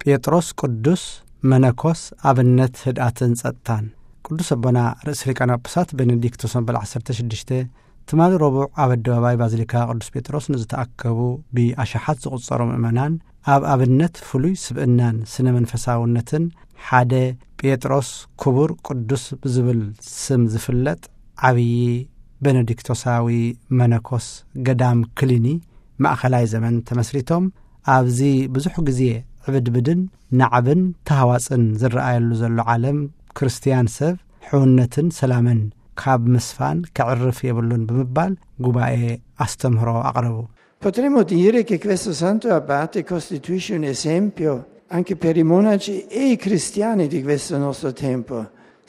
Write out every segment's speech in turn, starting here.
ጴጥሮስ ቅዱስ መነኮስ ኣብነት ህድኣትን ጸጥታን። ቅዱስ ኣቦና ርእሰ ሊቃነ ጳጳሳት ቤኔዲክቶስ መበል ዓሰርተ ሽዱሽተ ትማሊ ረቡዕ ኣብ ኣደባባይ ባዚሊካ ቅዱስ ጴጥሮስ ንዝተኣከቡ ብኣሽሓት ዝቑጸሩ ምእመናን፣ ኣብ ኣብነት ፍሉይ ስብእናን ስነ መንፈሳውነትን ሓደ ጴጥሮስ ክቡር ቅዱስ ብዝብል ስም ዝፍለጥ ዓብዪ ቤኔዲክቶሳዊ መነኮስ ገዳም ክሊኒ ማእኸላይ ዘመን ተመስሪቶም፣ ኣብዚ ብዙሕ ግዜ ዕብድብድን ናዕብን ተሃዋጽን ዝረኣየሉ ዘሎ ዓለም፣ ክርስትያን ሰብ ሕውነትን ሰላምን ካብ ምስፋን ከዕርፍ የብሉን ብምባል ጉባኤ ኣስተምህሮ ኣቕረቡ። Potremmo dire che questo santo abate costituisce un esempio anche per i monaci e i cristiani di questo nostro tempo,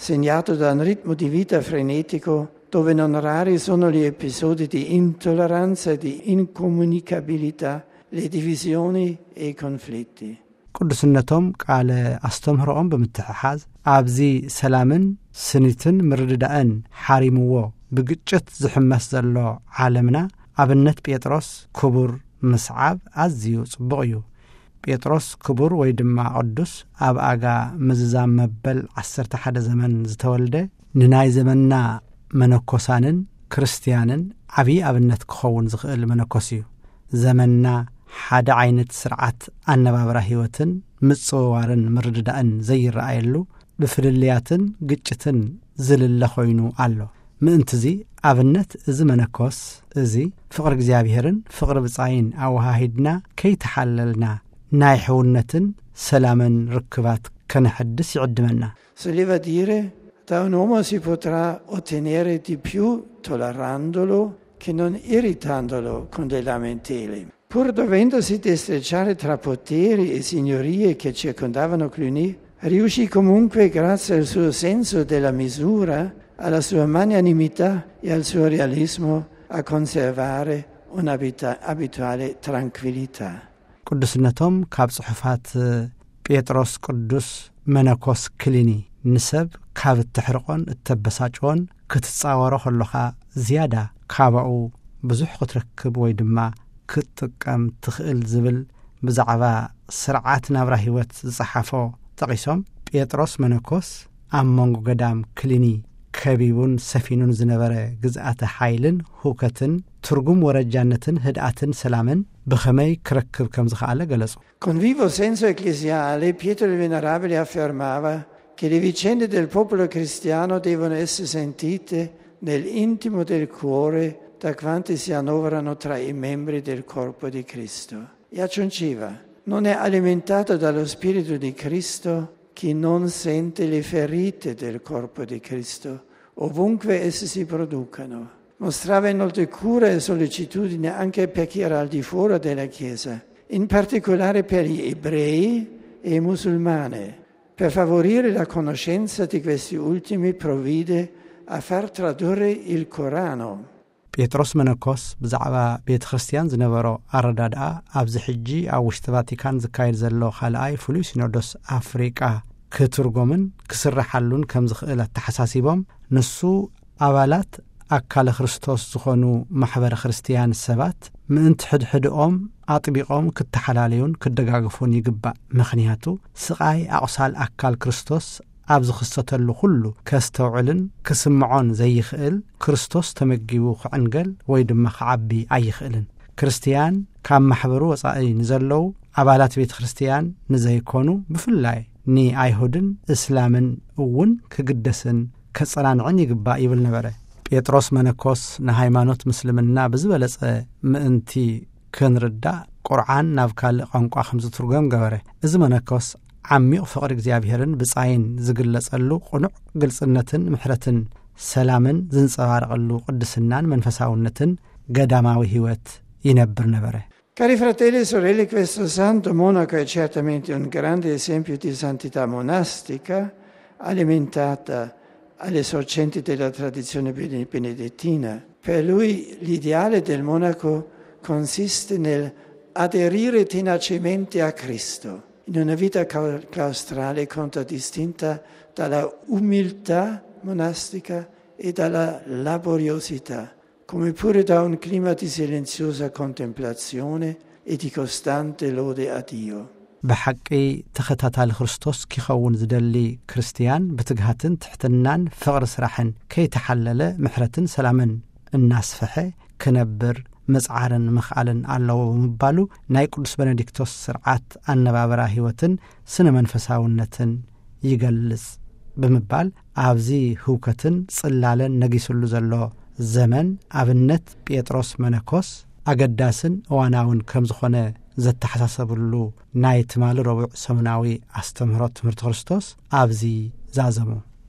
segnato da un ritmo di vita frenetico dove non rari sono gli episodi di intolleranza e di incomunicabilità, le divisioni e i conflitti. ቅዱስነቶም ቃለ ኣስተምህሮኦም ብምትሕሓዝ፣ ኣብዚ ሰላምን ስኒትን ምርድዳእን ሓሪምዎ ብግጭት ዝሕመስ ዘሎ ዓለምና፣ ኣብነት ጴጥሮስ ክቡር ምስዓብ ኣዝዩ ጽቡቕ እዩ። ጴጥሮስ ክቡር ወይ ድማ ቅዱስ፣ ኣብ ኣጋ ምዝዛም መበል ዓሰርተ ሓደ ዘመን ዝተወልደ፣ ንናይ ዘመንና መነኮሳንን ክርስትያንን ዓብዪ ኣብነት ክኸውን ዝኽእል መነኮስ እዩ። ዘመንና ሓደ ዓይነት ስርዓት ኣነባብራ ህይወትን ምጽውዋርን ምርድዳእን ዘይረኣየሉ፣ ብፍልልያትን ግጭትን ዝልለ ኮይኑ ኣሎ። ምእንትዚ ኣብነት እዚ መነኮስ እዚ ፍቕሪ እግዚኣብሔርን ፍቕሪ ብጻይን ኣወሃሂድና ከይተሓለልና ናይ ሕውነትን ሰላምን ርክባት ከነሐድስ ይዕድመና። Si leva a dire, da un uomo si potrà ottenere di più tollerandolo che non irritandolo con dei lamenteli. Pur dovendosi destreggiare tra poteri e signorie che circondavano Cluny, riuscì comunque, grazie al suo senso della misura, alla sua magnanimità e al suo realismo, a conservare un'abituale tranquillità. ቅዱስነቶም ካብ ጽሑፋት ጴጥሮስ ቅዱስ መነኮስ ክሊኒ፣ ንሰብ ካብ እተሕርቆን እተበሳጭዎን ክትጻወሮ ከሎኻ ዝያዳ ካባኡ ብዙሕ ክትረክብ ወይ ድማ ክትጥቀም ትኽእል ዝብል ብዛዕባ ስርዓት ናብራ ህይወት ዝጸሓፎ ጠቒሶም፣ ጴጥሮስ መነኮስ ኣብ መንጎ ገዳም ክሊኒ ከቢቡን ሰፊኑን ዝነበረ ግዝኣተ ሓይልን ሁከትን፣ ትርጉም ወረጃነትን ህድኣትን ሰላምን ብኸመይ ክረክብ ከም ዝኸኣለ ገለጹ። Con vivo senso ecclesiale, Pietro il Venerabile affermava che le vicende del popolo cristiano devono essere sentite nell'intimo del cuore da quanti si annoverano tra i membri del corpo di Cristo. E aggiungeva: non è alimentato dallo Spirito di Cristo chi non sente le ferite del corpo di Cristo, ovunque esse si producano. Mostrava inoltre cura e sollecitudine anche per chi era al di fuori della Chiesa, in particolare per gli ebrei e i musulmani. Per favorire la conoscenza di questi ultimi provvide a far tradurre il Corano. ጴጥሮስ መነኮስ ብዛዕባ ቤተ ክርስቲያን ዝነበሮ ኣረዳድኣ፣ ኣብዚ ሕጂ ኣብ ውሽጢ ቫቲካን ዝካየድ ዘሎ ካልኣይ ፍሉይ ሲኖዶስ ኣፍሪቃ ክትርጎምን ክስረሓሉን ከም ዝኽእል ኣተሓሳሲቦም፣ ንሱ ኣባላት ኣካለ ክርስቶስ ዝኾኑ ማሕበረ ክርስቲያን ሰባት ምእንቲ ሕድሕድኦም ኣጥቢቖም ክተሓላለዩን ክደጋግፉን ይግባእ። ምኽንያቱ፣ ስቓይ ኣቑሳል ኣካል ክርስቶስ ኣብ ዝኽሰተሉ ኩሉ ከስተውዕልን ክስምዖን ዘይኽእል፣ ክርስቶስ ተመጊቡ ክዕንገል ወይ ድማ ክዓቢ ኣይኽእልን። ክርስትያን ካብ ማሕበሩ ወጻኢ ንዘለዉ ኣባላት ቤተ ክርስትያን ንዘይኮኑ፣ ብፍላይ ንኣይሁድን እስላምን እውን ክግደስን ከጸናንዕን ይግባእ ይብል ነበረ። ጴጥሮስ መነኮስ ንሃይማኖት ምስልምና ብዝበለጸ ምእንቲ ክንርዳእ፣ ቁርዓን ናብ ካልእ ቋንቋ ከም ዝትርጎም ገበረ። እዚ መነኮስ ዓሚቕ ፍቕሪ እግዚኣብሔርን ብጻይን ዝግለጸሉ፣ ቅኑዕ ግልጽነትን ምሕረትን ሰላምን ዝንጸባረቐሉ ቅድስናን መንፈሳውነትን ገዳማዊ ህይወት ይነብር ነበረ። Cari fratelli e sorelle, questo santo monaco è certamente un grande esempio di santità monastica, alimentata alle sorgenti della tradizione bene-, benedettina. Per lui l'ideale del monaco consiste nel aderire tenacemente a Cristo, in una vita cau-, claustrale contraddistinta dalla umiltà monastica e dalla laboriosità, come pure da un clima di silenziosa contemplazione e di costante lode a Dio. ብሓቂ ተኸታታሊ ክርስቶስ ኪኸውን ዝደሊ ክርስትያን ብትግሃትን ትሕትናን ፍቕሪ ስራሕን ከይተሓለለ ምሕረትን ሰላምን እናስፈሐ ክነብር ምጽዓርን ምኽኣልን ኣለዎ ብምባሉ ናይ ቅዱስ በነዲክቶስ ስርዓት ኣነባብራ ህይወትን ስነ መንፈሳውነትን ይገልጽ ብምባል ኣብዚ ህውከትን ጽላለን ነጊስሉ ዘሎ ዘመን ኣብነት ጴጥሮስ መነኮስ ኣገዳስን እዋናውን ከም ዝኾነ ዘተሓሳሰብሉ ናይ ትማሊ ረቡዕ ሰሙናዊ ኣስተምህሮ ትምህርቲ ክርስቶስ ኣብዚ ዛዘሙ።